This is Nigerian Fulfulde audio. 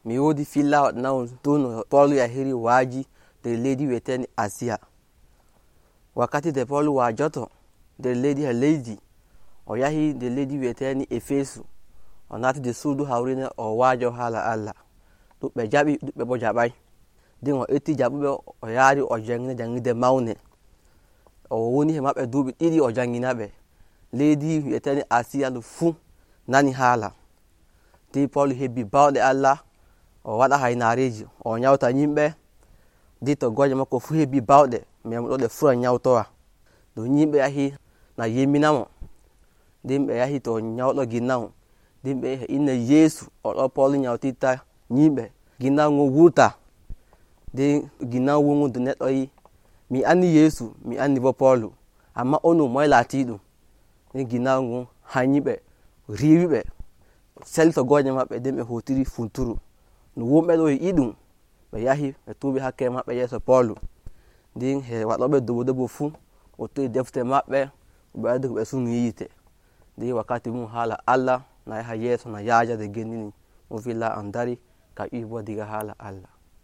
mi wodi filla waɗanawol ton no Paul yahiri waji nder leydi wiyeteni Asiya. Wakkati nde Paul wajoto nder leydi o yahi nder leydi wiyeteni Efesu, o nati nder suudu hawrine o wajo hala Allah. Ɗuɓɓe jaɓi, ɗuɓɓe bo jaɓai. Nden o etti jaɓuɓe o yaari o jangina jangirde maune. O woni e maɓɓe duuɓi 2 o jangina ɓe. Leydi wiyeteni Asiya ndu fuu nani hala. Nden Paul hebbi bawɗe Allah, o waɗa hainareji, o nyauta yimɓe. Nden toggoje makko fuu hebbi bawɗe, memuɗoɗe fuu o nyautowa. Ɗum yimɓe yahi na yemminamo. Nden ɓe yahi to nyauɗo ginnawo. Nden ɓe inna Yesu oɗo Paul nyautirta yimɓe. Ginnawo ngon wurta. Nden ginnawo wongo nde neɗɗo yi, mi anni Yesu, mi anni bo Paul, amma onon moye laatiɗum? Nden ginnawo ngon hanyiɓe, riiwiɓe, sali toggoje maɓɓe. Nden ɓe hutiri funturu. No wonɓe ɗo yi'i ɗum, ɓe yahi ɓe tuubi hakkere maɓɓe yeeso Paul. Nden e waɗoɓe dobo fuu o toyi defte maɓɓe, ɓe waddi ko ɓe suni yite. Nden wakkati mum hala Allah na yaha yeeso, na yaaja nde gendini. Ɗum filla am dari ka ƴiwi bo diga hala Allah.